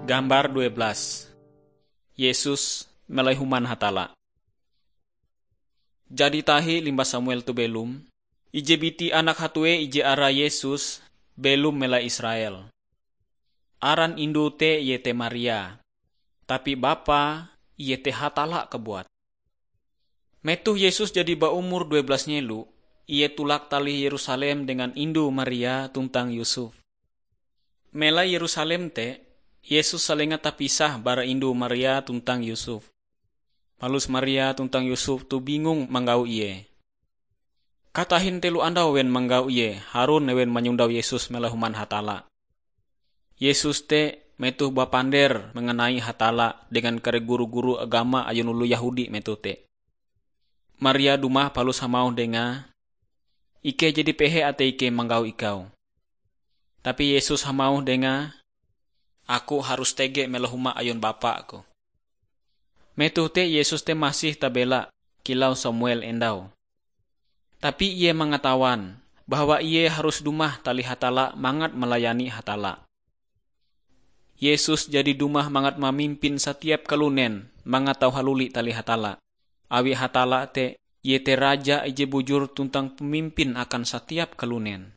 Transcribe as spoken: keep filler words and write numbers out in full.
Gambar dua belas. Yesus melai human Hatalla. Jadi tahi limbah Samuel toh belom, ije biti anak hatue ije arae Yesus belom melai Israel. Aran indue te iete Maria, tapi bapae iete Hatalla kabuat. Metoh Yesus jadi baumur dua belas nyelo, ie tulak talih Yerusalem dengan indue Maria tuntang Yusuf. Melai Yerusalem te, Yesus salenga tapisah bara indue Maria tuntang Yusuf. Palus Maria tuntang Yusuf toh bingung manggau ie. Katahin telo andau ewen manggau ie, harun ewen manyondau Yesus melai human Hatalla. Yesus te metoh bapander mengenai Hatalla dengan kare guru-guru agama ayon oloh Yehudi metoh te. Maria dumah palus hamauh dengae, "Ikei jadi pehe atei ikei manggau ikau." Tapi Yesus hamauh dengae, "Aku harus tege melai huma ayon Bapa-Ku." Metoh te Yesus te masih tabela kilau Samuel endau. Tapi ie mangatawan bahwa ie harus dumah talih Hatalla mangat melayani Hatalla. Yesus jadi dumah mangat mamimpin satiap kalunen mangat tau haluli talih Hatalla. Awi Hatalla te, iete Raja ije bujur tuntang pamimpin akan satiap kalunen.